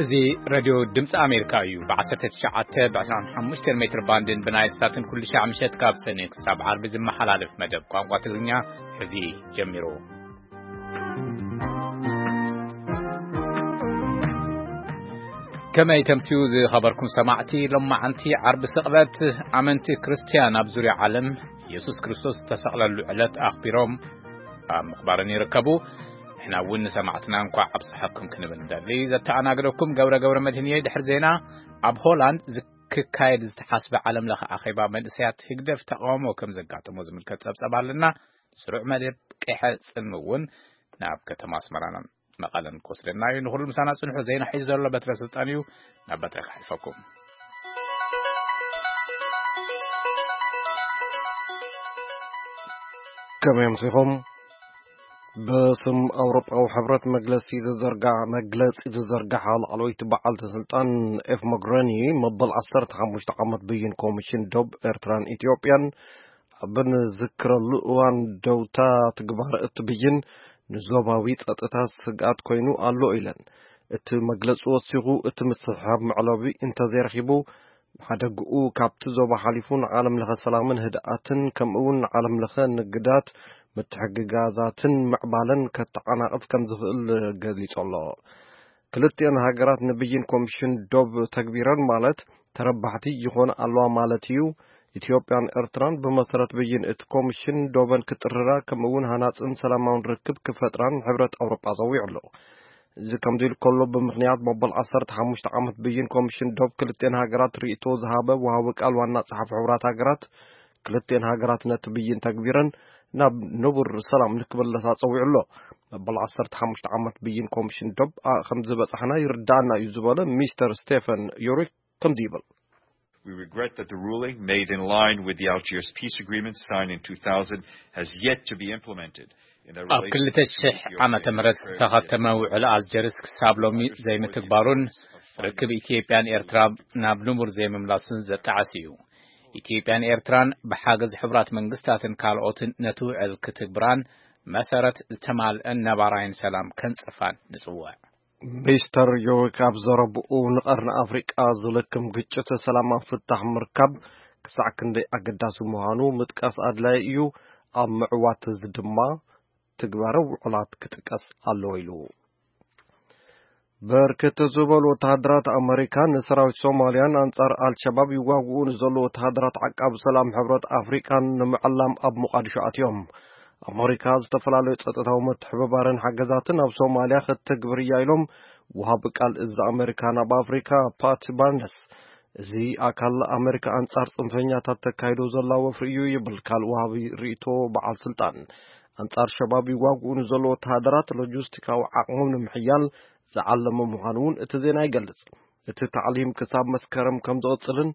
እዚ ሬድዮ ድምፂ ኣሜሪካ እዩ። ብ19፣ ብ25 ሜትር ባንድን ብናይል ሳትን ኩሉ ሻዕ ምሸት ካብ ሰኔ ክሳብ ዓርቢ ዝመሓላለፍ መደብ ቋንቋ ትግርኛ ሕዚ ጀሚሩ። ከመይ ተምስዩ ዝኸበርኩም ሰማዕቲ፣ ሎማዓንቲ ዓርቢ ስቕበት ኣመንቲ ክርስትያን ኣብ ዙርያ ዓለም የሱስ ክርስቶስ ዝተሰቕለሉ ዕለት ኣኽቢሮም ኣብ ምኽባርን ይርከቡ። ንሕና እውን ንሰማዕትና እንኳዕ ኣብጽሓኩም ክንብል ንደሊ። ዘተኣናግደኩም ገብረ ገብረ መድህን እየ። ድሕሪ ዜና ኣብ ሆላንድ ዝክካየድ ዝተሓስበ ዓለም ለኸ ኣኼባ መንእሰያት ህግደፍ ተቃውሞ ከም ዘጋጠሞ ዝምልከት ጸብጸብ ኣለና። ስሩዕ መደብ ቄሐ ጽልሚ እውን ናብ ከተማ ኣስመራን መቐለን ክወስደና እዩ። ንኹሉ ምሳና ጽንሑ። ዜና ሒዙ ዘሎ በትረ ስልጣን እዩ። ናብ በትረ ክሓልፈኩም። ከመይ ኣምሲኹም? ብስም ኣውሮጳዊ ሕብረት መግለጺ ዝዘርጋ-፣ መግለጺ ዝዘርጋሓ ላዕለወይቲ በዓልቲ ስልጣን ኤፍ ሞግረኒ፣ መበል 15 ዓመት ብይን ኮሚሽን ዶብ ኤርትራን ኢትዮጵያን ኣብ ንዝክረሉ እዋን ደውታ ትግባር እቲ ብይን ንዞባዊ ጸጥታ ስግኣት ኮይኑ ኣሎ ኢለን። እቲ መግለጺ ወሲኹ፣ እቲ ምስሕሓብ መዕለቢ እንተዘይረኺቡ፣ ሓደግኡ ካብቲ ዞባ ሓሊፉ ንዓለም ለኸ ሰላምን ህድኣትን ከምኡ እውን ንዓለም ለኸ ንግዳት ምትሕግጋዛትን ምዕባለን ከተዓናቕፍ ከም ዝኽእል ገሊጹ ኣሎ። ክልቲኣን ሃገራት ንብይን ኮሚሽን ዶብ ተግቢረን ማለት ተረባሕቲ ይኾና ኣለዋ ማለት እዩ። ኢትዮጵያን ኤርትራን ብመሰረት ብይን እቲ ኮሚሽን ዶበን ክጥርራ ከምኡ እውን ሃናጽን ሰላማውን ርክብ ክፈጥራን ሕብረት ኣውሮጳ ጸዊዑ ኣሎ። እዚ ከምዚ ኢሉ ከሎ፣ ብምኽንያት መበል 15 ዓመት ብይን ኮሚሽን ዶብ ክልቲኣን ሃገራት ርእይቶ ዝሃበ ወሃቢ ቃል ዋና ጸሓፊ ሕቡራት ሃገራት፣ ክልቲኣን ሃገራት ነቲ ብይን ተግቢረን ናብ ንቡር ሰላም ንክምለሳ ጸዊዑ ኣሎ። መበል 15 ዓመት ብይን ኮሚሽን ዶብ፣ ኣ፣ ከም ዝበጻሕና ይርዳኣና እዩ ዝበለ ሚስተር ስቴፈን ዩሪክ ከምዚ ይብል። We regret that the ruling, made in line with the Algiers peace agreement signed in two thousand, has yet to be implemented in the ኣብ relationship between 2000 Ethiopia and ዓመተ ምህረት Eritrea. ዝተኸተመ ውዕል ኣልጀርስ ክሳብ ሎሚ ዘይምትግባሩን ርክብ ኢትዮጵያን ኤርትራ ናብ ንቡር ዘይምምላሱን ዘጣዕስ እዩ። ኢትዮጵያን ኤርትራን ብሓገዝ ሕቡራት መንግስታትን ካልኦትን ነቲ ውዕል ክትግብራን መሰረት ዝተማልአን ነባራይን ሰላም ከንጽፋን ንጽውዕ። ሚስተር ዮሪክ ኣብ ዘረብኡ፣ ንቐርኒ ኣፍሪቃ ዝልክም ግጭት ሰላማዊ ፍታሕ ምርካብ ክሳዕ ክንደይ ኣገዳሲ ምዃኑ ምጥቃስ ኣድላዪ እዩ፣ ኣብ ምዕዋት እዚ ድማ ትግባረ ውዕላት ክጥቀስ ኣለዎ ኢሉ። ብርክት ዝበሉ ወተሃደራት ኣመሪካ ንሰራዊት ሶማልያን ኣንጻር ኣልሸባብ ይዋግኡ ንዘለዉ ወተሃደራት ዓቃቢ ሰላም ሕብረት ኣፍሪቃን ንምዕላም ኣብ ሞቃዲሾ ኣትዮም። ኣመሪካ ዝተፈላለዩ ጸጥታዊ ምትሕብባርን ሓገዛትን ኣብ ሶማልያ ክትተግብር እያ ኢሎም ወሃቢ ቃል እዚ ኣመሪካ ናብ ኣፍሪካ ፓት ባርነስ። እዚ ኣካል ኣመሪካ ኣንጻር ጽንፈኛታት ተካይዶ ዘላ ወፍሪ እዩ ይብል ካልእ ወሃቢ ርእይቶ በዓል ስልጣን። ኣንጻር ሸባብ ይዋግኡ ንዘለዉ ወተሃደራት ሎጂስቲካዊ ዓቕሞም ንምሕያል ዝዓለመ ምዃኑ እውን እቲ ዜና ይገልጽ። እቲ ታዕሊም ክሳብ መስከረም ከም ዝቕጽልን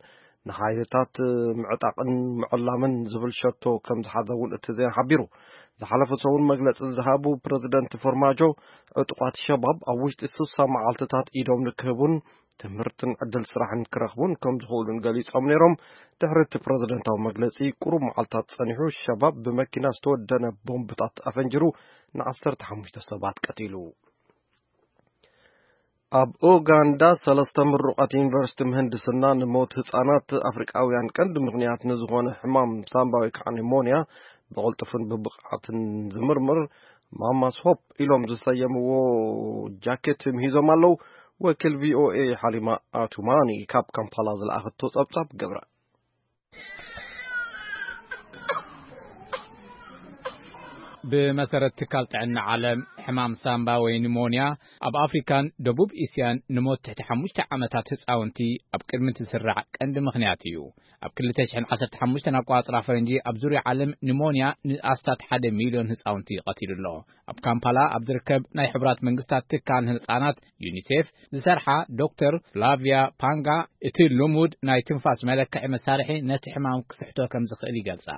ንሓይልታት ምዕጣቕን ምዕላምን ዝብል ሸቶ ከም ዝሓዘ እውን እቲ ዜና ሓቢሩ። ዝሓለፈ ሰሙን መግለጺ ዝሃቡ ፕረዚደንት ፎርማጆ፣ ዕጡቓት ሸባብ ኣብ ውሽጢ 60 መዓልትታት ኢዶም ንክህቡን ትምህርትን ዕድል ስራሕን ክረኽቡን ከም ዝኽእሉን ገሊጾም ነይሮም። ድሕሪ እቲ ፕረዚደንታዊ መግለጺ ቁሩብ መዓልታት ጸኒሑ፣ ሸባብ ብመኪና ዝተወደነ ቦምብታት ኣፈንጂሩ ን15 ሰባት ቀቲሉ። ኣብ ኡጋንዳ ሰለስተ ምሩቓት ዩኒቨርሲቲ ምህንድስና ንሞት ህጻናት ኣፍሪቃውያን ቀንዲ ምኽንያት ንዝኾነ ሕማም ሳምባ ወይ ከዓ ኒሞንያ ብቕልጡፍን ብብቕዓትን ዝምርምር ማማስ ሆፕ ኢሎም ዝሰየምዎ ጃኬት ምሂዞም ኣለዉ። ወኪል ቪ ኦ ኤ ሓሊማ ኣቱማኒ ካብ ካምፓላ ዝለኣኸቶ ጸብጻብ ገብረ። ብመሰረት ትካል ጥዕና ዓለም፣ ሕማም ሳምባ ወይ ኒሞንያ ኣብ ኣፍሪካን ደቡብ እስያን ንሞት ትሕቲ ሓሙሽተ ዓመታት ህፃውንቲ ኣብ ቅድሚ እቲ ዝስራዕ ቀንዲ ምኽንያት እዩ። ኣብ 2015 ኣቋፅራ ፈረንጂ ኣብ ዙርያ ዓለም ኒሞንያ ንኣስታት ሓደ ሚልዮን ህፃውንቲ ቀቲሉ ኣሎ። ኣብ ካምፓላ ኣብ ዝርከብ ናይ ሕቡራት መንግስታት ትካል ንህፃናት ዩኒሴፍ ዝሰርሓ ዶክተር ፍላቪያ ፓንጋ፣ እቲ ልሙድ ናይ ትንፋስ መለክዒ መሳርሒ ነቲ ሕማም ክስሕቶ ከም ዝኽእል ይገልጻ።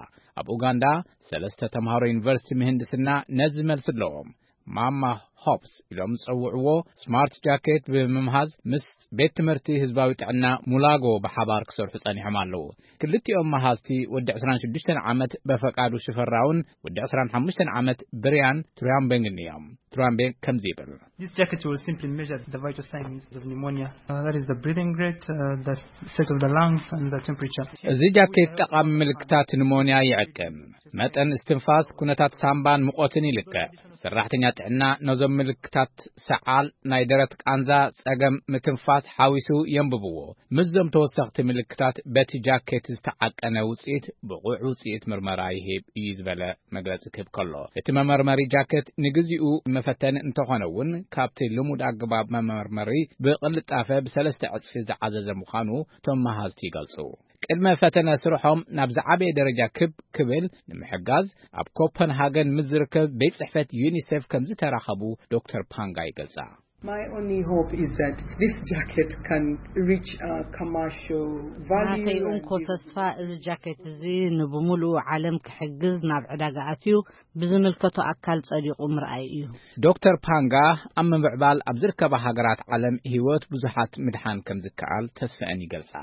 ኣብ ኡጋንዳ ሰለስተ ተምሃሮ ዩኒቨርሲቲ ምህንድስና ነዚ መልሲ ኣለዎም። ማማ ሆፕስ ኢሎም ዝጸውዕዎ ስማርት ጃኬት ብምምሃዝ ምስ ቤት ትምህርቲ ህዝባዊ ጥዕና ሙላጎ ብሓባር ክሰርሑ ጸኒሖም ኣለዉ። ክልቲኦም መሃዝቲ ወዲ ዕስራን ሽዱሽተን ዓመት በፈቃዱ ሽፈራውን ወዲ ዕስራን ሓሙሽተን ዓመት ብርያን ትሩያምቤንግን እዮም። ትሩያምቤንግ ከምዚ ይብል። This jacket will simply measure the vital signs of pneumonia. Uh, that is the breathing rate, uh, the state of the lungs, and the temperature. እዚ ጃኬት ጠቓሚ ምልክታት ኒሞንያ ይዕቅን። መጠን እስትንፋስ፣ ኩነታት ሳምባን ሙቐትን ይልክዕ። ሰራሕተኛ ጥዕና ነዞም ምልክታት፣ ሰዓል፣ ናይ ደረት ቃንዛ፣ ጸገም ምትንፋስ ሓዊሱ የንብብዎ። ምስዞም ተወሰኽቲ ምልክታት በቲ ጃኬት ዝተዓቀነ ውጽኢት፣ ብቑዕ ውጽኢት ምርመራ ይህብ እዩ ዝበለ መግለጺ ክህብ ከሎ፣ እቲ መመርመሪ ጃኬት ንግዚኡ መፈተኒ እንተኾነ እውን፣ ካብቲ ልሙድ ኣገባብ መመርመሪ ብቕልጣፈ ብሰለስተ ዕጽፊ ዝዓዘዘ ምዃኑ እቶም መሃዝቲ ይገልጹ። ቅድመ ፈተነ ስርሖም ናብ ዝዓበየ ደረጃ ክብ ክብል ንምሕጋዝ፣ ኣብ ኮፐንሃገን ምስ ዝርከብ ቤት ጽሕፈት ዩኒሴፍ ከም ዝተራኸቡ ዶክተር ፓንጋ ይገልጻ። My only hope is that this jacket can reach a commercial value ናተይ and እንኮ give ተስፋ፣ እዚ ጃኬት እዚ ንብምሉኡ ዓለም ክሕግዝ፣ ናብ ዕዳጋ ኣትዩ ብዝምልከቶ ኣካል ጸዲቑ ምርኣይ እዩ። ዶክተር ፓንጋ ኣብ ምምዕባል ኣብ ዝርከባ ሃገራት ዓለም ህይወት ብዙሓት ምድሓን ከም ዝከኣል ተስፈአን ይገልጻ።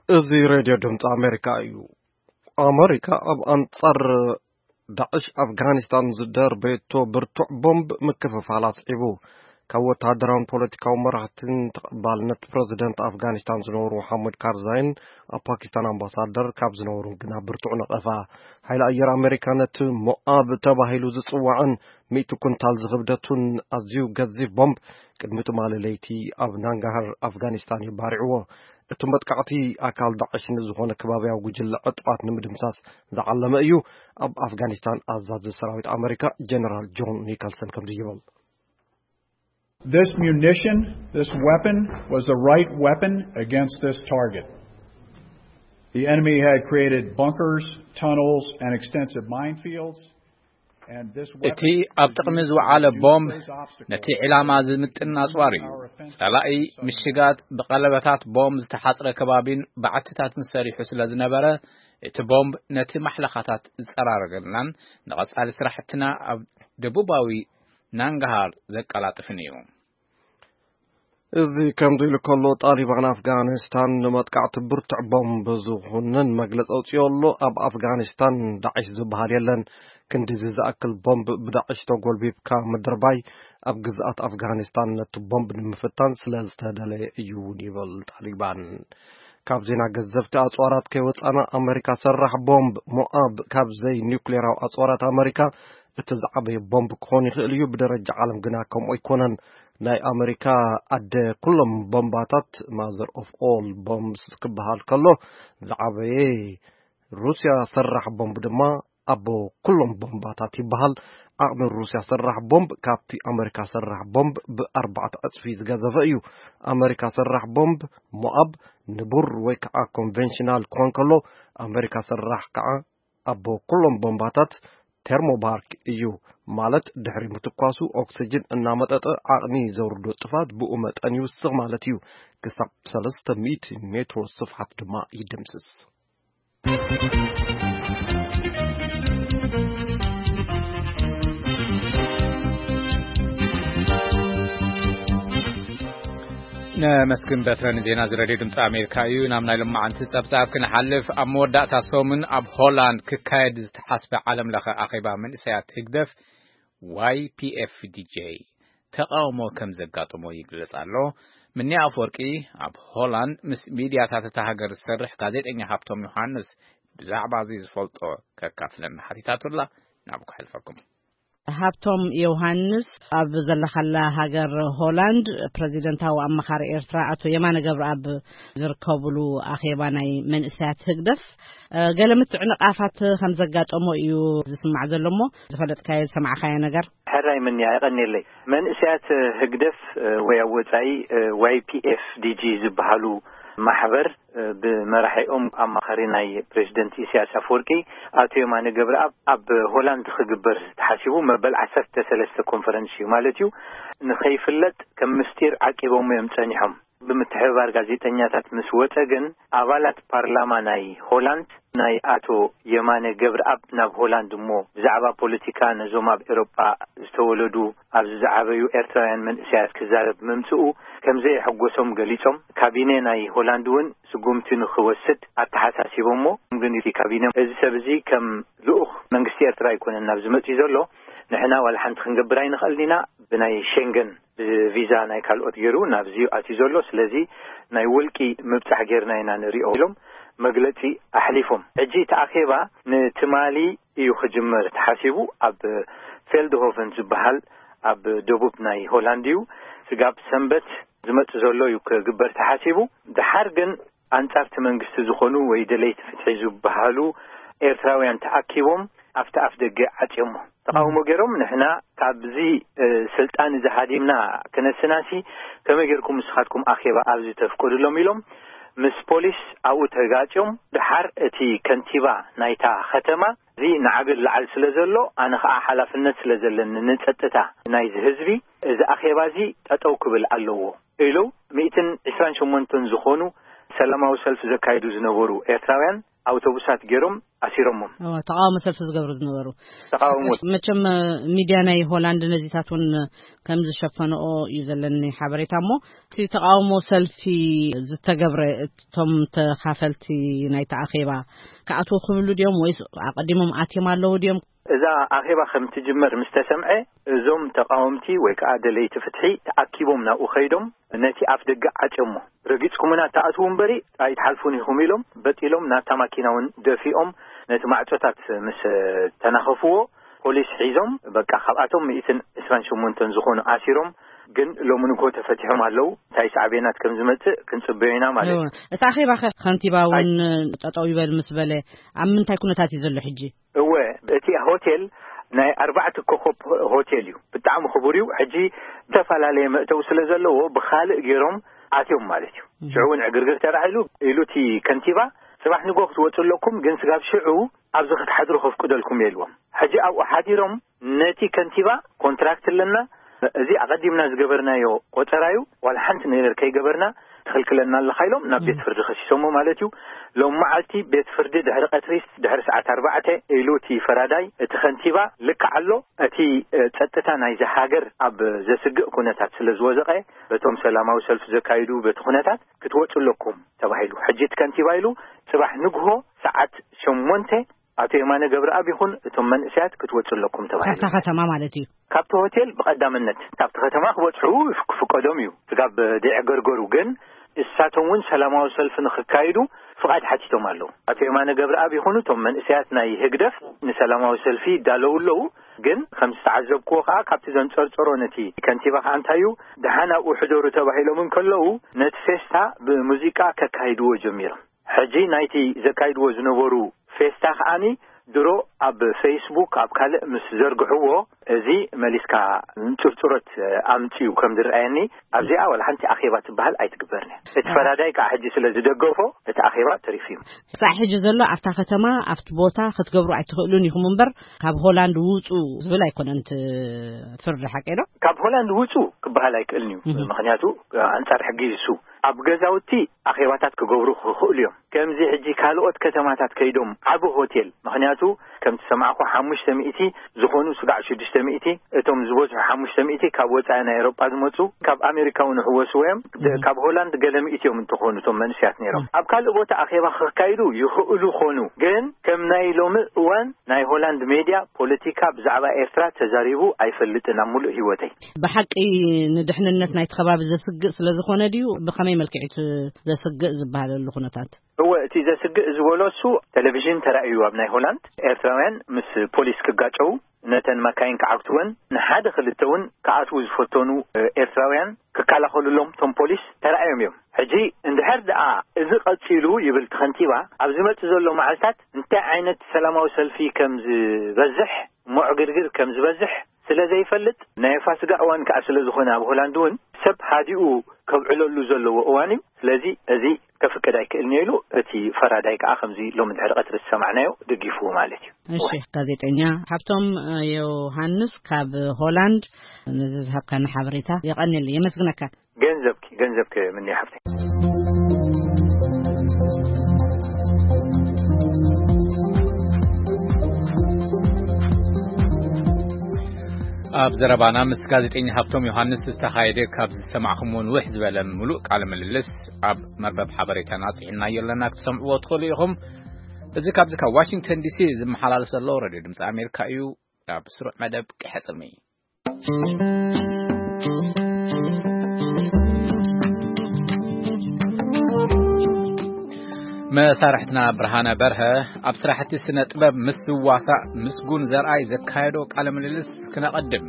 እዚ ሬድዮ ድምፂ ኣሜሪካ እዩ። ኣሜሪካ ኣብ ኣንጻር ዳዕሽ ኣፍጋኒስታን ዝደርበየቶ ብርቱዕ ቦምብ ምክፍፋል ኣስዒቡ። ካብ ወተሃደራውን ፖለቲካዊ መራሕትን ተቐባልነት ፕረዚደንት ኣፍጋኒስታን ዝነበሩ መሓመድ ካርዛይን ኣብ ፓኪስታን ኣምባሳደር ካብ ዝነበሩ ግና ብርቱዕ ነቐፋ። ሓይሊ ኣየር ኣሜሪካ ነቲ ሞኣብ ተባሂሉ ዝጽዋዕን ሚእቲ ኩንታል ዝኽብደቱን ኣዝዩ ገዚፍ ቦምብ ቅድሚ ትማሊ ለይቲ ኣብ ናንጋሃር ኣፍጋኒስታን እዩ ባሪዕዎ። እቲ መጥቃዕቲ ኣካል ዳዕሽ ንዝኾነ ከባብያዊ ጉጅለ ዕጡቓት ንምድምሳስ ዝዓለመ እዩ። ኣብ ኣፍጋኒስታን ኣዛዚ ሰራዊት ኣመሪካ ጀነራል ጆን ኒከልሰን ከምዚ ይብል። This munition, this weapon, was the right weapon against this target. The enemy had created bunkers, tunnels, and extensive minefields. እቲ ኣብ ጥቕሚ ዝወዓለ ቦምብ ነቲ ዕላማ ዝምጥን ኣጽዋር እዩ። ጸላኢ ምሽጋት ብቐለበታት ቦምብ ዝተሓጽረ ከባቢን ባዕትታትን ሰሪሑ ስለ ዝነበረ፣ እቲ ቦምብ ነቲ ማሕለኻታት ዝጸራረገናን ንቐጻሊ ስራሕትና ኣብ ደቡባዊ ናንጋሃር ዘቀላጥፍን እዩ። እዚ ከምዚ ኢሉ ከሎ፣ ጣሊባን ኣፍጋኒስታን ንመጥቃዕቲ ብርቱዕ ቦምብ ዝኹንን መግለጺ ኣውጺኡ ኣሎ። ኣብ ኣፍጋኒስታን ዳዕሽ ዝበሃል የለን። ክንድዚ ዝኣክል ቦምብ ብዳዕሽ ተጎልቢብካ ምድርባይ ኣብ ግዝኣት ኣፍጋኒስታን ነቲ ቦምብ ንምፍታን ስለ ዝተደለየ እዩ እውን ይብል ጣሊባን። ካብ ዜና ገዘፍቲ ኣጽዋራት ከይወጻና፣ ኣመሪካ ሰራሕ ቦምብ ሞኣብ ካብ ዘይኒውክሌራዊ ኣጽዋራት ኣመሪካ እቲ ዝዓበየ ቦምብ ክኾን ይኽእል እዩ። ብደረጃ ዓለም ግና ከምኡ ኣይኮነን። ናይ ኣመሪካ ኣደ ኩሎም ቦምባታት፣ ማዘር ኦፍ ኦል ቦምብስ፣ ክበሃል ከሎ፣ ዝዓበየ ሩስያ ሰራሕ ቦምብ ድማ ኣቦ ኩሎም ቦምባታት ይበሃል። ዓቕሚ ሩስያ ሰራሕ ቦምብ ካብቲ ኣመሪካ ሰራሕ ቦምብ ብኣርባዕተ ዕጽፊ ዝገዘፈ እዩ። ኣመሪካ ሰራሕ ቦምብ ሞኣብ ንቡር ወይ ከዓ ኮንቬንሽናል ክኾን ከሎ፣ ኣመሪካ ሰራሕ ከዓ ኣቦ ኩሎም ቦምባታት ቴርሞባርክ እዩ። ማለት ድሕሪ ምትኳሱ ኦክስጅን እናመጠጠ ዓቕሚ ዘውርዶ ጥፋት ብኡ መጠን ይውስኽ ማለት እዩ። ክሳብ ሰለስተ ሚእቲ ሜትሮ ስፍሓት ድማ ይድምስስ። ነመስግን በትረ ንዜና እዚ ሬድዮ ድምፂ ኣሜሪካ እዩ። ናብ ናይ ሎማዓንቲ ጸብጻብ ክንሓልፍ፣ ኣብ መወዳእታ ሰሙን ኣብ ሆላንድ ክካየድ ዝተሓስበ ዓለም ለኸ ኣኼባ መንእሰያት ህግደፍ ዋይ ፒ ኤፍ ዲ ጄ ተቃውሞ ከም ዘጋጠሞ ይግለጽ ኣሎ። ምንያ ኣፈወርቂ ኣብ ሆላንድ ምስ ሚድያታት እታ ሃገር ዝሰርሕ ጋዜጠኛ ሃብቶም ዮሃንስ ብዛዕባ እዚ ዝፈልጦ ከካፍለና ሓቲታቱላ። ናብ ክሕልፈኩም። ሃብቶም ዮሃንስ፣ ኣብ ዘለኻላ ሃገር ሆላንድ ፕረዚደንታዊ ኣመኻሪ ኤርትራ ኣቶ የማነ ገብረኣብ ዝርከብሉ ኣኼባ ናይ መንእሰያት ህግደፍ፣ እ፣ ገለ ምትዕንቓፋት ከም ዘጋጠሞ እዩ ዝስማዕ ዘሎ እሞ፣ ዝፈለጥካዮ ዝሰማዕካዮ ነገር። ሕራይ ምንያ፣ የቐንየለይ። መንእሰያት ህግደፍ፣ እ፣ ወይ ኣብ ወጻኢ፣ እ፣ ዋይ ፒ ኤፍ ዲ ጂ ዝበሃሉ ማሕበር፣ እ፣ ብመራሒኦም ኣማኻሪ ናይ ፕሬዚደንት ኢሳያስ ኣፈወርቂ ኣቶ የማነ ገብረኣብ ኣብ ሆላንድ ክግበር ተሓሲቡ መበል ዓሰርተ ሰለስተ ኮንፈረንስ እዩ ማለት እዩ። ንኸይፍለጥ ከም ምስጢር ዓቂቦም እዮም ጸኒሖም። ብምትሕብባር ጋዜጠኛታት ምስ ወጸ ግን፣ ኣባላት ፓርላማ ናይ ሆላንድ፣ ናይ ኣቶ የማነ ገብረኣብ ናብ ሆላንድ እሞ ብዛዕባ ፖለቲካ ነዞም ኣብ ኤሮጳ ዝተወለዱ፣ ኣብዚ ዝዓበዩ ኤርትራውያን መንእሰያት ክዛረብ ምምጽኡ ከም ዘየሐጎሶም ገሊጾም፣ ካቢነ ናይ ሆላንድ እውን ስጉምቲ ንኽወስድ ኣተሓሳሲቦሞ። ግን እቲ ካቢነ፣ "እዚ ሰብ እዚ ከም ልኡኽ መንግስቲ ኤርትራ ኣይኮነን ናብ ዝመጽእ ዘሎ፣ ንሕና ዋላ ሓንቲ ክንገብር ኣይንኽእልን ኢና፣ ብናይ ሸንገን፣ ብቪዛ ናይ ካልኦት ገይሩ ናብዚ ኣትዩ ዘሎ፣ ስለዚ ናይ ውልቂ ምብጻሕ ጌርና ኢና ንሪኦ" ኢሎም መግለጺ ኣሕሊፎም። ሕጂ እቲ ኣኼባ ንትማሊ እዩ ክጅመር ተሓሲቡ። ኣብ ፌልድሆቨን ዝበሃል ኣብ ደቡብ ናይ ሆላንድ እዩ። ስጋብ ሰንበት ዝመጽእ ዘሎ እዩ ክግበር ተሓሲቡ። ድሓር ግን ኣንጻርቲ መንግስቲ ዝኾኑ ወይ ደለይቲ ፍትሒ ዝበሃሉ ኤርትራውያን ተኣኪቦም ኣብቲ ኣፍ ደገ ዓጽዮሞ። ተቃውሞ ገይሮም፣ "ንሕና ካብዚ፣ እ፣ ስልጣን እዚ ሃዲምና ክነስናሲ ከመይ ገይርኩም ንስኻትኩም ኣኼባ ኣብዚ ተፍቅዱሎም?" ኢሎም ምስ ፖሊስ ኣብኡ ተጋጭዮም። ድሓር እቲ ከንቲባ ናይታ ከተማ፣ "እዚ ንዓቢ ላዕል ስለ ዘሎ፣ ኣነ ኸኣ ሓላፍነት ስለ ዘለኒ ንጸጥታ ናይዚ ህዝቢ፣ እዚ ኣኼባ እዚ ጠጠው ክብል ኣለዎ" ኢሉ፣ ሚእትን ዕስራን ሸሞንተን ዝኾኑ ሰላማዊ ሰልፊ ዘካይዱ ዝነበሩ ኤርትራውያን ኣውቶቡሳት ገይሮም ኣሲሮሞም። እወ፣ ተቃውሞ ሰልፊ ዝገብሩ ዝነበሩ። ተቃውሞ። መቸም፣ ሚድያ ናይ ሆላንድ ነዚታት እውን ከም ዝሸፈንኦ እዩ ዘለኒ ሓበሬታ። እሞ እቲ ተቃውሞ ሰልፊ ዝተገብረ፣ እቶም ተኻፈልቲ ናይቲ ኣኼባ ክኣትዉ ክብሉ ድዮም ወይስ ኣቐዲሞም ኣትዮም ኣለዉ ድዮም? እዛ ኣኼባ ከም ትጅመር ምስ ተሰምዐ፣ እዞም ተቃወምቲ ወይ ከዓ ደለይቲ ፍትሒ ተኣኪቦም ናብኡ ከይዶም ነቲ ኣፍ ደገ ዓጽዮሞ። "ረጊጽኩምና ተኣትዉ እምበሪ ኣይትሓልፉን ኢኹም" ኢሎም በጢሎም ናብታ ማኪና እውን ደፊኦም ነቲ ማዕጾታት ምስ ተናኸፍዎ፣ ፖሊስ ሒዞም፣ በቃ፣ ካብኣቶም ሚእትን ዕስራን ሸሞንተን ዝኾኑ ኣሲሮም፣ ግን ሎሚ ንግሆ ተፈቲሖም ኣለዉ። እንታይ ሳዕቤናት ከም ዝመጽእ ክንጽበዮ ኢና ማለት እዩ። እወ። እቲ ኣኼባ ኸ ከንቲባ እውን ኣይ- ጠጠው ይበል ምስ በለ፣ ኣብ ምንታይ ኩነታት እዩ ዘሎ ሕጂ? እወ፣ እቲ ሆቴል ናይ ኣርባዕተ ኮኾብ ሆቴል እዩ። ብጣዕሚ ክቡር እዩ። ሕጂ ዝተፈላለየ መእተዊ ስለ ዘለዎ ብኻልእ ገይሮም ኣትዮም ማለት እዩ። እም። ሽዑ እውን ዕግርግር ተራዒሉ ኢሉ እቲ ከንቲባ፣ "ጽባሕ ንግሆ ክትወጹ ኣለኩም፣ ግን ስጋብ ሽዑ ኣብዚ ክትሓድሩ ከፍቅደልኩም እየ" ኢልዎም። ሕጂ ኣብኡ ሓዲሮም ነቲ ከንቲባ፣ "ኮንትራክት ኣለና፣ እዚ ኣቐዲምና ዝገበርናዮ ቆጸራ እዩ፣ ዋላ ሓንቲ ነገር ከይገበርና ትኽልክለና ኣለኻ" ኢሎም ናብ እም። ቤት ፍርዲ ከሲሶሞ ማለት እዩ። ሎም መዓልቲ ቤት ፍርዲ ድሕሪ ቀትሪ፣ ድሕሪ ሰዓት ኣርባዕተ ኢሉ እቲ ፈራዳይ፣ እቲ ከንቲባ፣ "ልክዕ ኣሎ፣ እቲ፣ እ፣ ጸጥታ ናይዚ ሃገር ኣብ ዘስግእ ኩነታት ስለ ዝወዘቐ፣ በቶም ሰላማዊ ሰልፊ ዘካይዱ በቲ ኩነታት ክትወጹ ኣለኩም" ተባሂሉ። ሕጂ እቲ ከንቲባ ኢሉ፣ "ጽባሕ ንግሆ ሰዓት ሸሞንተ ኣቶ የማነ ገብረኣብ ይኹን እቶም መንእሰያት ክትወጹ ኣለኩም" ተባሂሉ። ካብታ ከተማ ማለት እዩ። ካብቲ ሆቴል ብቐዳምነት ካብቲ ከተማ ክበጽሑ ክፍቀዶም እዩ። ስጋብ ደይዕገርገሩ ግን እሳቶም እውን ሰላማዊ ሰልፊ ንክካይዱ ፍቓድ ሓቲቶም ኣለዉ። ኣቶ የማነ ገብረኣብ ይኹኑ እቶም መንእሰያት ናይ ህግደፍ ንሰላማዊ ሰልፊ ይዳለዉ ኣለዉ። ግን ከም ዝተዓዘብክዎ ከኣ ካብቲ ዘንጸርጸሮ ነቲ ከንቲባ ከኣ እንታይ እዩ፣ ደሓን ኣብኡ ሕደሩ ተባሂሎም እንከለዉ ነቲ ፌስታ ብሙዚቃ ከካይድዎ ጀሚሮም። ሕጂ ናይቲ ዘካይድዎ ዝነበሩ ፌስታ ከኣኒ ድሮ ኣብ ፌስቡክ ኣብ ካልእ ምስ ዘርግሕዎ፣ እዚ መሊስካ እንጽርጽሮት ኣምጽኡ ከም ዝረኣየኒ፣ ኣብዚኣ ዋላ ሓንቲ ኣኼባ ትበሃል ኣይትግበርን እያ። እቲ ፈራዳይ ከዓ ሕጂ ስለ ዝደገፎ እቲ ኣኼባ ተሪፉ እዩ። ክሳዕ ሕጂ ዘሎ ኣብታ ከተማ ኣብቲ ቦታ ክትገብሩ ኣይትኽእሉን ኢኹም እምበር ካብ ሆላንድ ውጹ ዝብል ኣይኮነን እቲ ፍርዲ፣ ሓቀይ ዶ? ካብ ሆላንድ ውጹ ክበሃል ኣይክእልን እዩ። እህ። ምኽንያቱ ኣንጻር ሕጊ እዩ እሱ። ኣብ ገዛውቲ ኣኼባታት ክገብሩ ክኽእሉ እዮም። ከምዚ ሕጂ ካልኦት ከተማታት ከይዶም ዓቢ ሆቴል፣ ምኽንያቱ ከም ትሰማዕኮ ሓሙሽተ ሚእቲ ዝኾኑ ስጋዕ ሽዱሽተ ሚእቲ፣ እቶም ዝበዝሑ ሓሙሽተ ሚእቲ ካብ ወጻኢ ናይ ኤውሮጳ ዝመጹ፣ ካብ ኣሜሪካ እውን ይሕወስዎ እዮም። ደ-፣ እህ። ካብ ሆላንድ ገለ ሚእቲ እዮም እንተኾኑ እቶም መንእሰያት ነይሮም። እህ። ኣብ ካልእ ቦታ ኣኼባ ክካይዱ ይኽእሉ ኾኑ፣ ግን ከም ናይ ሎሚ እዋን ናይ ሆላንድ ሜድያ ፖለቲካ ብዛዕባ ኤርትራ ተዛሪቡ ኣይፈልጥን ኣብ ሙሉእ ህይወተይ። ብሓቂ ንድሕንነት ናይቲ ከባቢ ዘስግእ ስለ ዝኾነ ድዩ? ብኸመይ መልክዕ እቲ ዘስግእ ዝበሃለሉ ኩነታት? እወ፣ እቲ ዘስግእ ዝበሎ እሱ ቴሌቪዥን ተራእዩ ኣብ ናይ ሆላንድ ኤርትራውያን ምስ ፖሊስ ክጋጨው፣ ነተን መካይን ክዓግትወን፣ ንሓደ ክልተ እውን ክኣትዉ ዝፈተኑ፣ እ፣ ኤርትራውያን ክከላኸሉሎም እቶም ፖሊስ ተራእዮም እዮም። ሕጂ እንድሕር ደኣ እዚ ቀጺሉ ይብል እቲ ከንቲባ፣ ኣብ ዝመጽእ ዘሎ መዓልታት እንታይ ዓይነት ሰላማዊ ሰልፊ ከም ዝበዝሕ፣ ምዕግርግር ከም ዝበዝሕ ስለ ዘይፈልጥ፣ ናይ ፋስጋ እዋን ከኣ ስለ ዝኾነ ኣብ ሆላንድ እውን ሰብ ሃዲኡ ከብዕለሉ ዘለዎ እዋን እዩ። ስለዚ እዚ ከፍቅድ ኣይክእልን እዩ ኢሉ፣ እቲ ፈራዳይ ከኣ ከምዚ ሎሚ ድሕሪ ቀትሪ ዝሰማዕናዮ ደጊፍዎ ማለት እዩ። እሺ፣ ጋዜጠኛ ሃብቶም ዮሃንስ ካብ ሆላንድ ነዚ ዝሃብካና ሓበሬታ የቐንየለይ፣ የመስግነካ። ገንዘብኪ ገንዘብ ክምንያ ሃብተይ። ኣብ ዘረባና ምስ ጋዜጠኛ ሃብቶም ዮሃንስ ዝተኻየደ፣ ካብ ዝሰማዕኹምዎ ንውሕ ዝበለ ምሉእ ቃለ ምልልስ ኣብ መርበብ ሓበሬታና ኣጽሒናዮ ኣለና፣ ክትሰምዕዎ ትኽእሉ ኢኹም። እዚ ካብዚ ካብ ዋሽንግተን ዲሲ ዝመሓላለፍ ዘሎ ሬድዮ ድምፂ ኣሜሪካ እዩ። ኣብ ስሩዕ መደብ ቅሐ ጽልሚ። መሳርሕትና ብርሃነ በርሀ ኣብ ስራሕቲ ስነ ጥበብ ምስ ዝዋሳእ ምስጉን ዘርኣይ ዘካየዶ ቃለ ምልልስ ክነቐድም።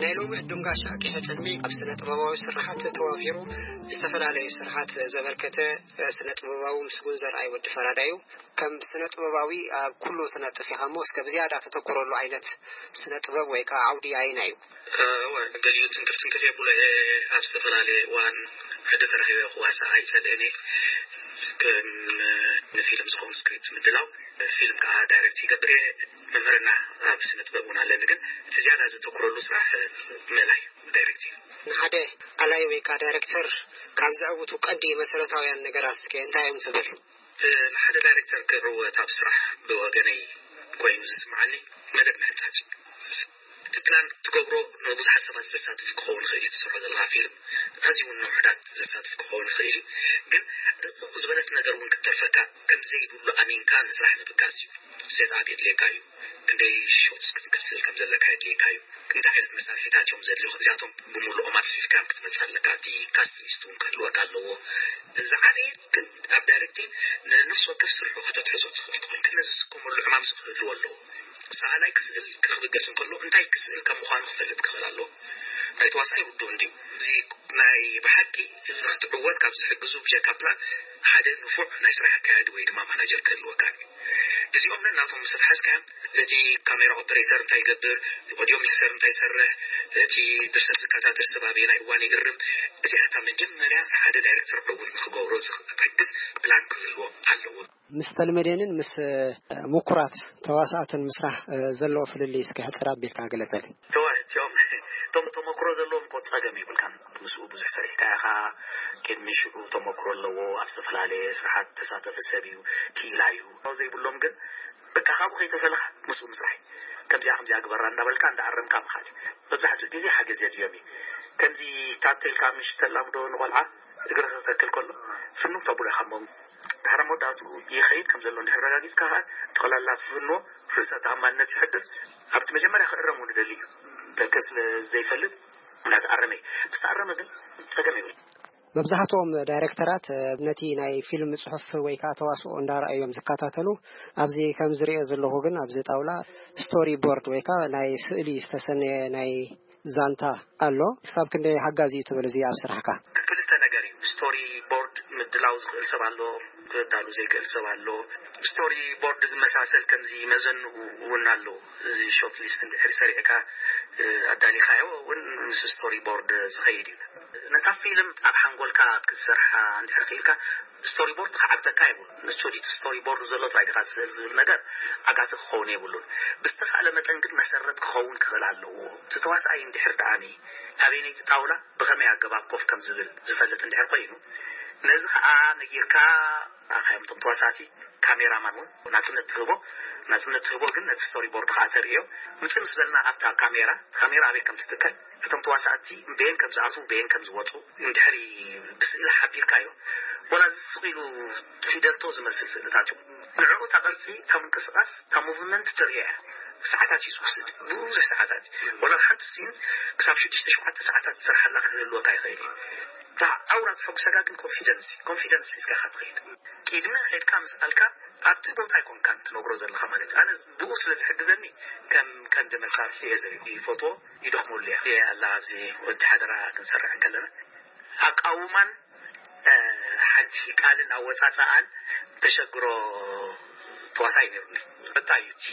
ናይ ሎሚ ዕዱም ጋሻ ቅሐ ጽልሚ ኣብ ስነ ጥበባዊ ስርሓት ተዋፊሩ ዝተፈላለዩ ስርሓት ዘበርከተ ስነ ጥበባዊ ምስጉን ዘርኣይ ወዲ ፈራዳዩ። ከም ስነ ጥበባዊ ኣብ ኩሉ ትነጥፍ ኢኻ እሞ፣ እስከ ብዝያዳ ተተኩረሉ ዓይነት ስነ ጥበብ ወይ ከዓ ዓውዲ ኣየናይ እዩ? እወ፣ ገሊኡ ትንክፍ ትንክፍ የብሎ እየ። ኣብ ዝተፈላለየ እዋን ዕድል ተረኺበ ክዋሳእ ኣይጸልእን እየ። ከም ንፊልም ዝኸውን ስክሪፕት ምድላው፣ ፊልም ከዓ ዳይሬክት ይገብር እየ። መምህርና ኣብ ስነ ጥበብ እውን ኣለኒ፣ ግን እቲ ዝያዳ ዘተኩረሉ ስራሕ ምእላይ፣ ዳይሬክቲንግ። ንሓደ ኣላይ ወይ ከዓ ዳይሬክተር ካብ ዘዕውቱ ቀንዲ መሰረታውያን ነገራት እስከ እንታይ እዮም ትብል? ንሓደ ዳይሬክተር ክዕወት ኣብ ስራሕ ብወገነይ ኮይኑ ዝስምዓኒ መደብ ምሕንጻጽ እዩ። እቲ ፕላን ትገብሮ ንብዙሓት ሰባት ዘሳትፍ ክኸውን ይኽእል እዩ። ትሰርሖ ዘለኻ ፊልም ኣዝዩ እውን ንውሑዳት ዘሳትፍ ክኸውን ይኽእል እዩ። ግን ድቕቕ ዝበለት ነገር እውን ክትተርፈካ ከም ዘይብሉ ኣሚንካ ንስራሕ ምብጋስ እዩ። ሴት ኣፕ የድልየካ እዩ። ክንደይ ሾትስ ክትስእል ከም ዘለካ የድልየካ እዩ። እንታይ ዓይነት መሳርሒታት እዮም ዘድልዩኻ? እዚኣቶም ብምሉኦም ኣስፊሕካ ክትመጽእ ኣለካ። እቲ ካስቲንግ ሊስት እውን ክህልወካ ኣለዎ። ዝዓበየ ግን ኣብ ዳይሬክቲንግ ንነፍሲ ወከፍ ስርሑ ከተትሕዞ ትኽእል ትኾንካ። ነዚ ዝስከመሉ ዕማም ስቕ ክህልዎ ኣለዎ። ሰኣላይ ክስእል ክብገስ እንከሎ እንታይ ክስእል ከም ምዃኑ ክፈልጥ ክኽእል ኣለዎ። ናይ ተዋሳኣይ ውዱእ እንድዩ። እዚ ናይ ብሓቂ ንኽትዕወት ካብ ዝሕግዙ ብጀካ ፕላን ሓደ ንፉዕ ናይ ስራሕ ኣካያዲ ወይ ድማ ማናጀር ክህልወካ እዩ። እዚኦም ነናቶም ምስ ኣትሓዝካዮም፣ እቲ ካሜራ ኦፐሬተር እንታይ ይገብር፣ ኦዲዮ ሚክሰር እንታይ ይሰርሕ፣ እቲ ድርሰት ዝከታተል ሰብ ኣበየናይ እዋን ይእርም፣ እዚኣታ መጀመርያ ሓደ ዳይሬክተር ዕዉት ንኽገብሮ ዝሕግዝ ፕላን ክህልዎ ኣለዎ። ምስ ተልመዴንን ምስ ምኩራት ተዋሳእትን ምስራሕ ዘለዎ ፍልልይ እስከ ሕጽር ኣቢልካ ግለጸልኝ። ተዋ-፣ እቲኦም ቶም-፣ ተመክሮ ዘለዎም እኮ ጸገም የብልካን። ምስኡ ብዙሕ ሰሪሕካ ኢኻ። ቅድሚ ሽዑ ተመክሮ ኣለዎ። ኣብ ዝተፈላለየ ስራሓት ተሳተፈ ሰብ እዩ፣ ክኢላ እዩ። ዘይብሎም ግን በቃ ካብኡ ከይተፈለኻ ምስኡ ምስራሕ እዩ። ከምዚኣ ከምዚኣ ግበራ እንዳበልካ እንዳኣረምካ ምኻድ እዩ። መብዛሕትኡ ግዜ ሓገዝ የድልዮም እዩ። ከምዚ ታተ ኢልካ ምሽ ተላምዶ ንቆልዓ እግሪ ክተክል ከሎ ፍንው ተብሎ ኢኻ እሞ ድሕሪ መወዳእትኡ ይኸይድ ከም ዘሎ እንድሕር ረጋጊጽካ ከኣ ጠቕላላ ፍንዎ ርእሰ ተኣማንነት ይሕድር። ኣብቲ መጀመርያ ክእረም እውን ይደሊ እዩ። በርከ ስለ ዘይፈልጥ እንዳተኣረመ እዩ። ምስ ተኣረመ ግን ጸገም የብሉ። መብዛሕትኦም ዳይሬክተራት ነቲ ናይ ፊልም ጽሑፍ ወይ ከዓ ተዋስኦ እንዳረኣዩ እዮም ዝከታተሉ። ኣብዚ ከም ዝሪኦ ዘለኹ ግን ኣብዚ ጣውላ ስቶሪ ቦርድ ወይ ከዓ ናይ ስእሊ ዝተሰነየ ናይ ዛንታ ኣሎ። ክሳብ ክንደይ ሓጋዚ እዩ ትብል እዚ ኣብ ስራሕካ? ክልተ ነገር እዩ። ስቶሪ ቦርድ ምድላው ዝኽእል ሰብ ኣሎ፣ ክዳሉ ዘይክእል ሰብ ኣሎ። ስቶሪ ቦርድ ዝመሳሰል ከምዚ መዘንኡ እውን ኣሎ። እዚ ሾርት ሊስት እንድሕር ሰሪዕካ፣ እ፣ ኣዳሊኻዮ እውን ምስ ስቶሪ ቦርድ ዝኸይድ እዩ። ነታ ፊልም ኣብ ሓንጎልካ ክትሰርሓ እንድሕር ክኢልካ ስቶሪ ቦርድ ክዓግተካ የብሉን። ንጹር እቲ ስቶሪ ቦርድ ዘሎ ጥራይ ዲኻ ትስእል ዝብል ነገር ዓጋቲ ክኸውን የብሉን። ብዝተኻእለ መጠን ግን መሰረት ክኸውን ክኽእል ኣለዎ። እቲ ተዋሳኣይ እንድሕር ደኣኒ ኣበየነይቲ ጣውላ ብኸመይ ኣገባብ ኮፍ ከም ዝብል ዝፈልጥ እንድሕር ኮይኑ፣ ነዚ ኸኣ ነጊርካ ኣኻዮም እቶም ተዋሳእቲ፣ ካሜራማን እውን ናጽነት ትህቦ። ናጽነት ትህቦ ግን ነቲ ስቶሪ ቦርድ ኸኣ ተርእዮ። ውጽእ ምስ በልና ኣብታ ካሜራ፣ ካሜራ ኣበይ ከም ትትከል፣ እቶም ተዋሳእቲ በየን ከም ዝኣትዉ በየን ከም ዝወጹ እንድሕሪ ብስእሊ ሓቢርካዮ፣ ወላ እዚ ስቕ ኢሉ ፊደልቶ ዝመስል ስእልታት እዩ። ንዕኡ እታ ቅርጺ፣ እታ ምንቅስቓስ፣ እታ ሙቭመንት ትርእያ እያ። ሰዓታት እዩ ዝወስድ፣ ብዙሕ ሰዓታት። ወላ ሓንቲ ሲን ክሳብ ሽዱሽተ ሸውዓተ ሰዓታት ትሰርሓላ ክህልወካ ይኽእል እዩ። እታ ኣውራ ትሕጉሰካ ግን ኮንፊደንስ፣ ኮንፊደንስ ሒዝካ ኢኻ ትኸይድ። ቅድሚ ኸድካ ምስ ኣልካ ኣብቲ ቦታ ኣይኮንካን ትነግሮ ዘለኻ ማለት እዩ። ኣነ ብኡ ስለ ዝሕግዘኒ ከም ቀንዲ መሳርሒ እየ ዘርኢ ይፈትዎ፣ ይደኽመሉ እየ። እየ ኣላ ኣብዚ ወዲ ሓደራ ክንሰርሕ እንከለና ኣቃውማን፣ እ፣ ሓንቲ ቃልን ኣወጻጽኣን ተሸግሮ ተዋሳይ ነይሩኒ። እንታይ እዩ እቲ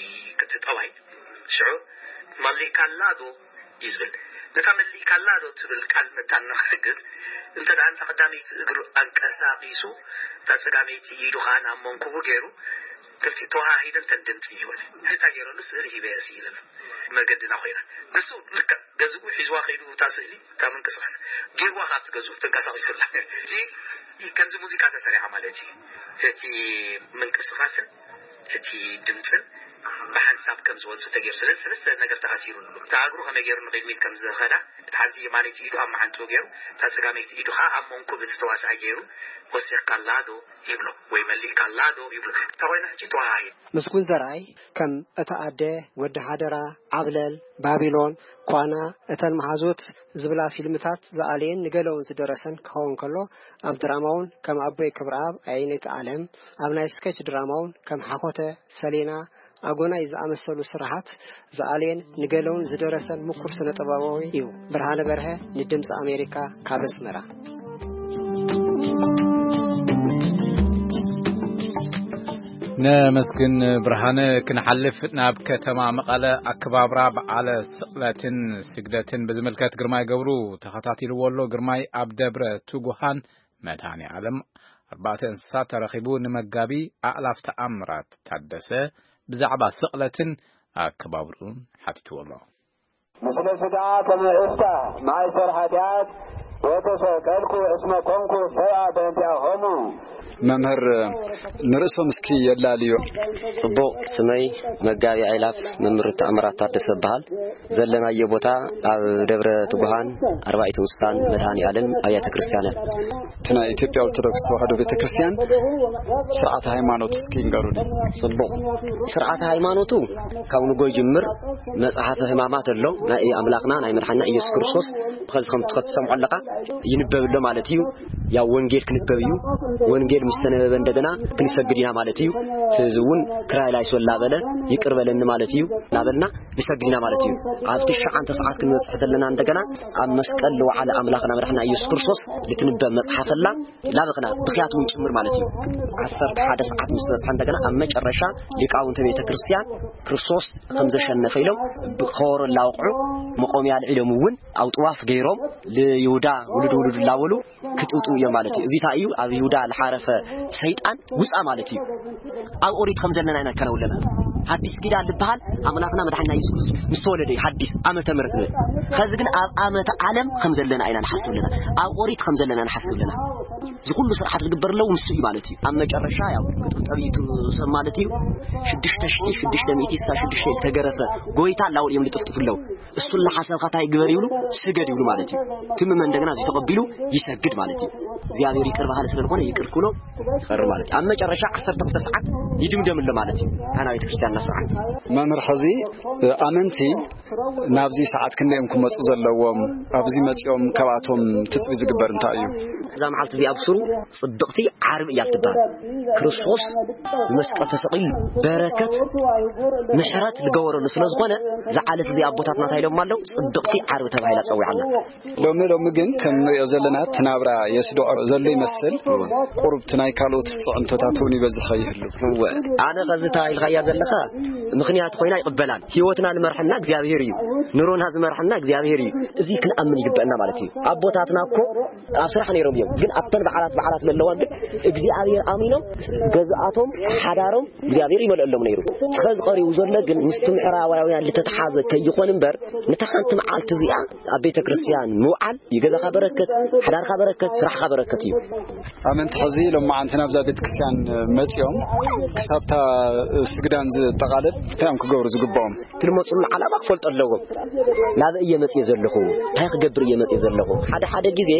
ቅጥጠባይ? ሽዑ መሊእካላ ዶ እዩ ዝብል። ነታ መሊእካላ ዶ ትብል ቃል መታን ንኽሕግዝ፣ እንተ ደኣ ነታ ቀዳመይቲ እግሩ ኣንቀሳቒሱ፣ እታ ጸጋመይቲ ኢዱ ኸኣ ናብ መንኩቡ ገይሩ፣ ክልቲኡ ተዋሃሂደን ተን ድምፂ ይበለ። ሕፃ ገይረሉ ስእሊ ሂበ እየ ስኢለሉ። መገድና ኮይና። ንሱ ልክዕ ገዝኡ ሒዝዋ ከይዱ እታ ስእሊ፣ እታ ምንቅስቃስ ገይርዋ ካብቲ ገዝኡ ተንቀሳቒሱላ። እዚ ከምዚ ሙዚቃ ተሰሪዓ ማለት እዩ። እቲ ምንቅስቃስን እቲ ድምፅን ብሓንሳብ ከም ዝወፅእ ተገይሩ። ስለዚ ሰለስተ ነገር ተኣሲሩ ኣሎ። እታ እግሩ ከመይ ገይሩ ንቕድሚት ከም ዝኸዳ፣ እቲ ሓንቲ የማነይቲ ኢዱ ኣብ መዓንጥኡ ገይሩ፣ እታ ፀጋመይቲ ኢዱ ከዓ ኣብ መንኩብ እቲ ተዋሳኣይ ገይሩ፣ ወሲኽካላ ዶ ይብሎ፣ ወይ መሊእካላ ዶ ይብሎ። እታ ኮይና ሕጂ ተዋሃሂድ። ምስጉን ዘርኣይ ከም እታ ኣደ፣ ወዲ ሓደራ፣ ዓብለል፣ ባቢሎን፣ ኳና፣ እተን መሓዙት ዝብላ ፊልምታት ዝኣለየን ንገለውን ዝደረሰን ክኸውን ከሎ፣ ኣብ ድራማውን ከም ኣቦይ ክብረኣብ ኣየነይቲ ዓለም፣ ኣብ ናይ ስኬች ድራማውን ከም ሓኾተ፣ ሰሌና፣ ኣጎናይ ዝኣመሰሉ ስራሓት ዝኣለየን ንገለውን ዝደረሰን ምኩር ስነ ጥበባዊ እዩ። ብርሃነ በርሀ ንድምፂ ኣሜሪካ ካብ ኣስመራ። ነመስግን ብርሃነ። ክንሓልፍ ናብ ከተማ መቐለ ኣከባብራ በዓለ ስቕለትን ስግደትን ብዝምልከት ግርማይ ገብሩ ተኸታቲልዎ ኣሎ። ግርማይ ኣብ ደብረ ትጉሃን መድኃኔ ዓለም ኣርባዕተ እንስሳት ተረኺቡ ንመጋቢ ኣእላፍ ተኣምራት ታደሰ ብዛዕባ ስቕለትን ኣከባብርኡን ሓቲትዎ ኣሎ። ምስለ ስጋ ከመ እፍታ ማእሰር ኃጢአት ወተሰቀልኩ እስመ ኮንኩ ሰብአ በእንቲአሆሙ። መምህር ንርእሶም እስኪ የላልዮ። ጽቡቕ። ስመይ መጋቢ ኣይላፍ መምህር ተኣምራት ታደሰ እበሃል። ዘለናዮ ቦታ ኣብ ደብረ ትጉሃን ኣርባዕቱ እንስሳን መድኃኔ ዓለም ኣብያተ ክርስቲያናት። እቲ ናይ ኢትዮጵያ ኦርቶዶክስ ተዋሕዶ ቤተ ክርስቲያን ስርዓተ ሃይማኖት እስኪ ንገሩኒ። ጽቡቕ። ስርዓተ ሃይማኖቱ ካብ ንጎ ይጅምር። መጽሓፈ ሕማማት ኣሎ፣ ናይ ኣምላኽና ናይ መድሓና ኢየሱስ ክርስቶስ። ከዚ ከም ትኸ- ትሰምዖ ኣለኻ፣ ይንበብ ኣሎ ማለት እዩ። ያው ወንጌል ክንበብ እዩ። ወንጌል ምስ ተነበበ እንደገና ክንሰግድ ኢና ማለት እዩ። ስለዚ እውን ክራይ ላይሶ ላበለ ይቅር በለኒ ማለት እዩ። ላበልና ንሰግድ ኢና ማለት እዩ። ኣብ ትሽዓተ ሰዓት ክንበጽሕ ዘለና እንደገና ኣብ መስቀል ለወዓለ ኣምላኽና መድሓና ኢየሱስ ክርስቶስ ልትንበብ መጽሓፈላ ላበኽና ብኽያት እውን ጭምር ማለት እዩ። ዓሰርተ ሓደ ሰዓት ምስ በጽሐ እንደገና ኣብ መጨረሻ ሊቃውንተ ቤተ ክርስቲያን ክርስቶስ ከም ዘሸነፈ ኢሎም ብኸበሮ ላወቕዑ መቆምያ ኣልዒሎም እውን ኣብ ጥዋፍ ገይሮም ልይሁዳ ውሉድ ውሉድ ላበሉ ክጥውጥው እዮም ማለት እዩ። እዚ እንታይ እዩ? ኣብ ይሁዳ ልሓረፈ ሰይጣን ውፃ ማለት እዩ። ኣብ ኦሪት ከም ዘለና ኢና ንከነው ኣለና። ሓዲስ ኪዳን ዝበሃል ኣምላኽና መድሓኒና ኢየሱስ ክርስቶስ ምስ ተወለደ እዩ ሓዲስ ዓመተ ምሕረት ንብል። ከዚ ግን ኣብ ዓመተ ዓለም ከም ዘለና ኢና ንሓስብ ኣለና። ኣብ ኦሪት ከም ዘለና ንሓስብ ኣለና። እዚ ኩሉ ስርዓት ዝግበር ኣለዉ ንሱ እዩ ማለት እዩ። ኣብ መጨረሻ ያው ክጥብጠብ እዩ እቲ ሰብ ማለት እዩ። ሽዱሽተ ሽዱሽተ ሚእቲ ስሳ ሽዱሽተ ዝተገረፈ ጎይታ ላውል እዮም ዝጥፍጥፉ ኣለዉ። እሱ ለሓሰብካ እንታይ ግበር ይብሉ፣ ስገድ ይብሉ ማለት እዩ። ትምመ እንደገና እዚ ተቐቢሉ ይሰግድ ማለት እዩ። እግዚኣብሔር ይቅር በሃሊ ስለዝኾነ ይቅር ክብሎ ይቐር ማለት እዩ። ኣብ መጨረሻ ዓሰርተ ክልተ ሰዓት ይድምደም ኣሎ ማለት እዩ። ካህናዊት ክርስቲያንና ስርዓት መምህር ሕዚ ኣመንቲ ናብዚ ሰዓት ክንደዮም ክመፁ ዘለዎም፣ ኣብዚ መፂኦም ካብኣቶም ትፅቢ ዝግበር እንታይ እዩ? እዛ መዓልቲ እዚኣ ብስሩ ጽብቕቲ ዓርቢ እያ ትበሃል። ክርስቶስ ብመስቀል ተሰቒሉ በረከት ምሕረት ዝገበረሉ ስለ ዝኾነ፣ ዝዓለት እዚ ኣቦታትና እንታይ ኢሎም ኣለዉ? ጽብቕቲ ዓርቢ ተባሂላ ጸዊዓ ኣላ። ሎሚ ሎሚ ግን ከም ንሪኦ ዘለና እቲ ናብራ የስድዖ ዘሎ ይመስል። ቁሩብ እቲ ናይ ካልኦት ፅዕንቶታት እውን ይበዝሐ ይህሉ። እወ፣ ኣነ ኸዚ እንታይ ኢልካያ ዘለኻ ምኽንያት ኮይና ይቕበላን። ህይወትና ዝመርሐና እግዚኣብሔር እዩ። ኑሮና ዝመርሐና እግዚኣብሔር እዩ። እዚ ክንኣምን ይግበአና ማለት እዩ። ኣቦታትና እኮ ኣብ ስራሕ ነይሮም እዮም፣ ግን ኣብተን በዓላት በዓላት ዘለዋ ግን እግዚኣብሔር ኣሚኖም ገዝኣቶም ሓዳሮም እግዚኣብሔር ይመልአሎም ነይሩ። ኸዚ ቀሪቡ ዘሎ ግን ምስቲ ምዕራባውያን ዝተተሓዘ ከይኾን እምበር ነታ ሓንቲ መዓልቲ እዚኣ ኣብ ቤተ ክርስቲያን ምውዓል ይገዛኻ በረከት፣ ሓዳርካ በረከት፣ ስራሕካ በረከት እዩ። ኣመንቲ ሕዚ ሎማዓንቲ ናብዛ ቤተ ክርስቲያን መፂኦም ክሳብታ ስግዳን ዝጠቓለል እንታይ እዮም ክገብሩ ዝግብኦም? ትልመፁሉ ዓላማ ክፈልጡ ኣለዎም። ናብ እየ መፅየ ዘለኹ፣ እንታይ ክገብር እየ መፅየ ዘለኹ? ሓደ ሓደ ግዜ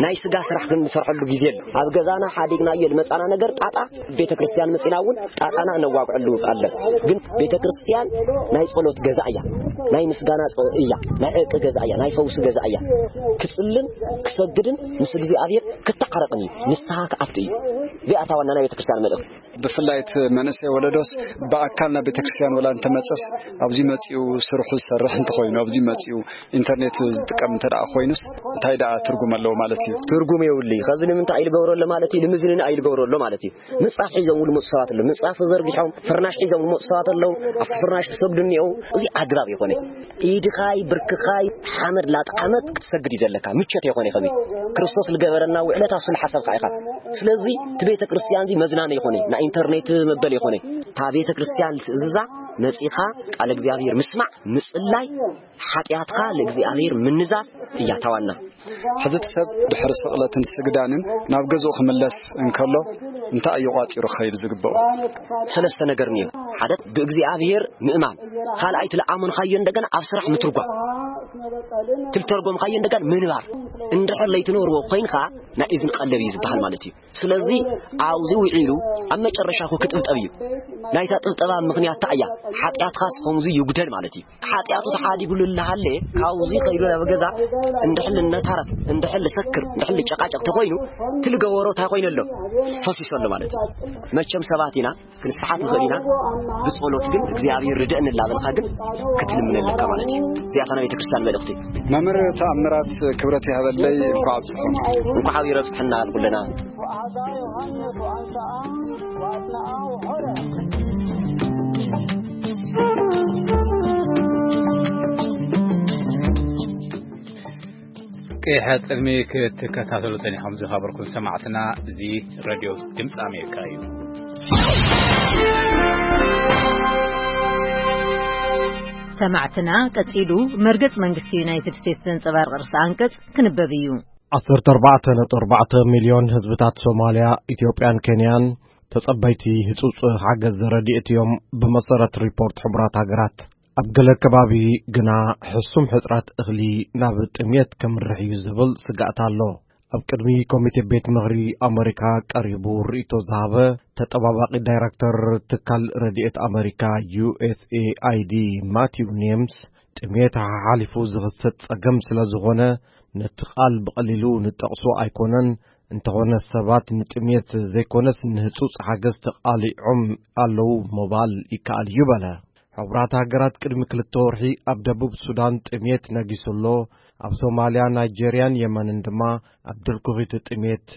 ናይ ስጋ ስራሕ ክንሰርሐሉ ግዜ ኣሎ። ኣብ ገዛና ሓዲግናዮ ዝመፃና ነገር ጣጣ ቤተ ክርስቲያን መፂና እውን ጣጣና እነዋግዐሉ ኣሎ። ግን ቤተ ክርስቲያን ናይ ጸሎት ገዛ እያ፣ ናይ ምስጋና ጸ- እያ፣ ናይ ዕርቂ ገዛ እያ፣ ናይ ፈውሲ ገዛ እያ። ክጽልን ክሰግድን ምስ እግዚኣብሔር ክተዓረቕን እዩ፣ ንስሓ ክኣቱ እዩ። እዚኣ እታ ዋና ናይ ቤተ ክርስቲያን መልእኽቲ። ብፍላይ እቲ መንእሰይ ወለዶስ ብኣካል ናብ ቤተክርስትያን ወላ እንተመጸስ ኣብዚ መጺኡ ስርሑ ዝሰርሕ እንተኾይኑ፣ ኣብዚ መጺኡ ኢንተርኔት ዝጥቀም እንተ ደኣ ኮይኑስ እንታይ ደኣ ትርጉም ኣለዎ ማለት እዩ? ትርጉም የብሉይ። ከዚ ንምንታይ ኢሉ ገብሮ ኣሎ ማለት እዩ? ንምዝንና ኢሉ ገብሮ ኣሎ ማለት እዩ። ምንጻፍ ሒዞም ዝመጹ ሰባት ኣለዉ። ምንጻፍ ተዘርጊሖም ፍርናሽ ሒዞም ዝመጹ ሰባት ኣለዉ። ኣብቲ ፍርናሽ ክሰግዱ እኒአው። እዚ ኣግራብ ይኾነ። ኢድኻይ ብርክኻይ ሓመድ ላጥዓመት ክትሰግድ እዩ ዘለካ። ምቸት ይኾነ ከዚ ክርስቶስ ዝገበረና ውዕለታ እሱ ንሓሰብካ ኢኻ። ስለዚ እቲ ቤተ ክርስቲያን እዚ መዝናነ ይኾነ፣ ናይ ኢንተርኔት መበል ይኾነ። እታ ቤተ ክርስቲያን ትእዝዛ መጺኻ ቃል እግዚኣብሔር ምስማዕ፣ ምጽላይ፣ ሓጢኣትካ ለእግዚኣብሔር ምንዛዝ እያ ታዋና። ሕዚ እቲ ሰብ ድሕሪ ስቕለትን ስግዳንን ናብ ገዝኡ ክምለስ እንከሎ እንታይ እዩ ቋጺሩ ክኸይድ ዝግብኦ? ሰለስተ ነገር ንዮ። ሓደ ብእግዚኣብሔር ምእማን፣ ካልኣይ ትለኣመንካዮ እንደገና ኣብ ስራሕ ምትርጓም፣ ትልተርጎምካዮ እንደገና ምንባር። እንድሕር ለይትነብርዎ ኮይንካ ናይ እዝኒ ቀለብ እዩ ዝበሃል ማለት እዩ። ስለዚ ኣብዚ ውዒሉ ኣብ መጨረሻ እኮ ክጥብጠብ እዩ። ናይታ ጥብጠባ ምኽንያት እንታይ እያ? ሓጢኣትካስ ከምዚ ይጉደል ማለት እዩ። ሓጢኣቱ ተሓዲጉሉ እናሃለ ካብዚ ከይዱ ናብ ገዛ እንድሕል እነታረፍ፣ እንድሕል ሰክር፣ እንድሕል ጨቃጨቅ ተኮይኑ ትልገበሮ እንታይ ኮይኑ ኣሎ? ፈሲሱ ኣሎ ማለት እዩ። መቸም ሰባት ኢና፣ ክንስሓት ንኽእል ኢና። ብጸሎት ግን እግዚኣብሔር ርድእን እናበልካ ግን ክትልምን ኣለካ ማለት እዩ። እዚኣታ ናይ ቤተክርስትያን መልእኽቲ። መምህር ተኣምራት ክብረት ይሃበለይ፣ እንኳዕ ኣብጽሖም። እንኳዕ ኣብይ ረብጽሕና ንኩልና። ቀይሐ ቅድሚ ክትከታተሉ ጸኒሖም ዝኸበርኩም ሰማዕትና፣ እዚ ሬድዮ ድምፂ ኣሜሪካ እዩ። ሰማዕትና፣ ቀጺሉ መርገጽ መንግስቲ ዩናይትድ ስቴትስ ዘንጸባርቕ ርእሰ ኣንቀጽ ክንበብ እዩ። ዓሰርተ ኣርባዕተ ነጥቢ ኣርባዕተ ሚልዮን ህዝብታት ሶማልያ፣ ኢትዮጵያን ኬንያን ተጸበይቲ ህጹጽ ሓገዝ ረድኤት እዮም፣ ብመሰረት ሪፖርት ሕቡራት ሃገራት። ኣብ ገለ ከባቢ ግና ሕሱም ሕጽረት እኽሊ ናብ ጥሜት ከምርሕ እዩ ዝብል ስግኣት ኣሎ። ኣብ ቅድሚ ኮሚቴ ቤት ምኽሪ ኣመሪካ ቀሪቡ ርእይቶ ዝሃበ ተጠባባቒ ዳይረክተር ትካል ረድኤት ኣመሪካ፣ ዩ ኤስ ኤ ኣይ ዲ፣ ማቲው ኔምስ፣ ጥሜት ሓሓሊፉ ዝኽሰት ጸገም ስለ ዝኾነ፣ ነቲ ቃል ብቐሊሉ ንጠቕሶ ኣይኮነን፣ እንተኾነ ሰባት ንጥሜት ዘይኮነስ ንህጹጽ ሓገዝ ተቓሊዖም ኣለዉ ምባል ይከኣል እዩ በለ። ሕቡራት ሃገራት ቅድሚ ክልተ ወርሒ ኣብ ደቡብ ሱዳን ጥሜት ነጊሱ ኣሎ፣ ኣብ ሶማልያ፣ ናይጄርያን የመንን ድማ ኣብ ድርኩኺት ጥሜት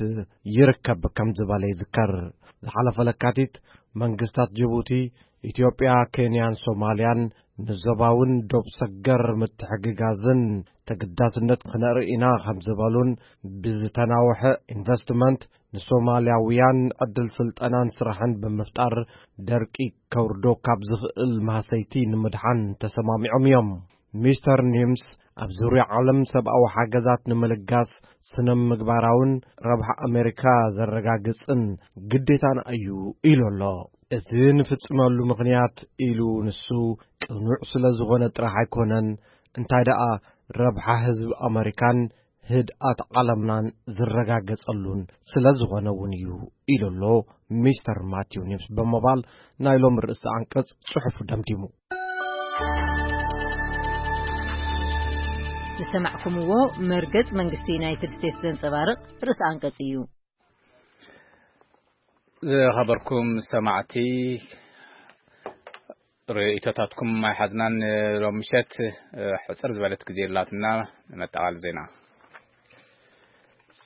ይርከብ ከም ዝበለ ይዝከር። ዝሓለፈ ለካቲት መንግስታት ጅቡቲ፣ ኢትዮጵያ፣ ኬንያን ሶማልያን ንዞባውን ዶብ ሰገር ምትሕግጋዝን ተገዳስነት ክነርኢ ኢና ከም ዝበሉን ብዝተናውሐ ኢንቨስትመንት ንሶማልያውያን ዕድል ስልጠናን ስራሕን ብምፍጣር ደርቂ ከውርዶ ካብ ዝኽእል ማህሰይቲ ንምድሓን ተሰማሚዖም እዮም። ሚስተር ኒምስ ኣብ ዙርያ ዓለም ሰብኣዊ ሓገዛት ንምልጋስ ስነ ምግባራውን ረብሓ ኣሜሪካ ዘረጋግጽን ግዴታና እዩ ኢሉ ኣሎ። እዚ ንፍጽመሉ ምኽንያት ኢሉ ንሱ ቅኑዕ ስለ ዝኾነ ጥራሕ ኣይኮነን፣ እንታይ ደኣ ረብሓ ህዝቢ ኣመሪካን ህድኣት ዓለምናን ዝረጋገጸሉን ስለ ዝኾነ እውን እዩ ኢሉ ኣሎ ሚስተር ማቲው ኒምስ ብምባል ናይ ሎም ርእሲ ኣንቀጽ ጽሑፉ ደምዲሙ። ዝሰማዕኩምዎ መርገጽ መንግስቲ ዩናይትድ ስቴትስ ዘንጸባርቕ ርእሲ ኣንቀጽ እዩ። ዝኸበርኩም ሰማዕቲ፣ ርእይቶታትኩም ኣይሓዝናን። ሎም ምሸት፣ እ፣ ሕጽር ዝበለት ግዜ ኣላትና። ንመጠቓል ዜና።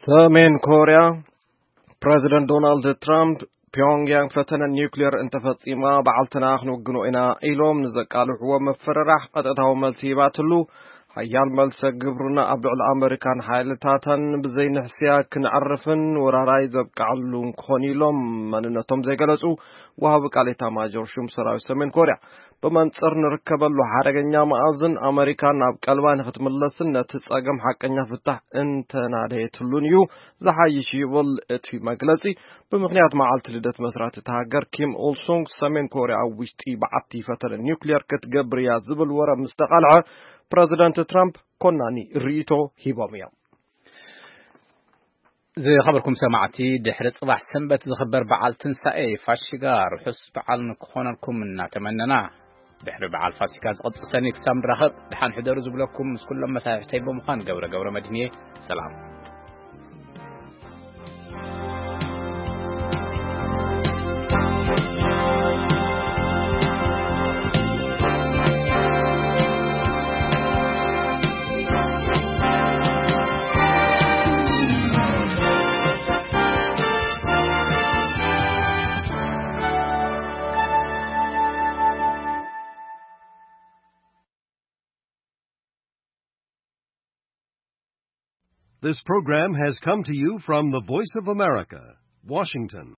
ሰሜን ኮርያ፣ ፕረዚደንት ዶናልድ ትራምፕ፣ ፒዮንግያንግ ፈተነ ኒውክሌር እንተፈጺማ፣ በዓልትና ክንውግኖ ኢና ኢሎም ንዘቃልሕዎ መፈረራሕ ቀጥታዊ መልሲ ሂባትሉ። ሓያል መልሰ ግብርና ኣብ ልዕሊ ኣመሪካን ሓይልታታን ብዘይንሕስያ ክነዕርፍን ወራራይ ዘብቅዓሉን ክኾን ኢሎም መንነቶም ዘይገለጹ ወሃቢ ቃል ኤታማዦር ሹም ሰራዊት ሰሜን ኮርያ። ብመንጽር ንርከበሉ ሓደገኛ መኣዝን ኣመሪካ ናብ ቀልባ ንክትምለስን ነቲ ጸገም ሓቀኛ ፍታሕ እንተናደየትሉን እዩ ዝሓይሽ ይብል እቲ መግለጺ። ብምኽንያት መዓልቲ ልደት መስራቲ እታ ሃገር ኪም ኡልሱንግ ሰሜን ኮርያ ኣብ ውሽጢ በዓቲ ፈተነ ኒውክሌር ክትገብር እያ ዝብል ወረ ምስ ተቓልዐ ፕረዚደንት ትራምፕ ኮናኒ ርእይቶ ሂቦም እዮም። ዝኸበርኩም ሰማዕቲ፣ ድሕሪ ጽባሕ ሰንበት ዝኽበር በዓል ትንሳኤ ፋሽጋ ርሑስ በዓል ንክኾነልኩም እናተመነና፣ ድሕሪ በዓል ፋሲካ ዝቕጽል ሰኒ ክሳብ ንራኸብ፣ ደሓን ሕደሩ ዝብለኩም ምስ ኩሎም መሳሕሕተይ ብምዃን ገብረ ገብረ መድህን እየ። ሰላም። This program has come to you from the Voice of America, Washington.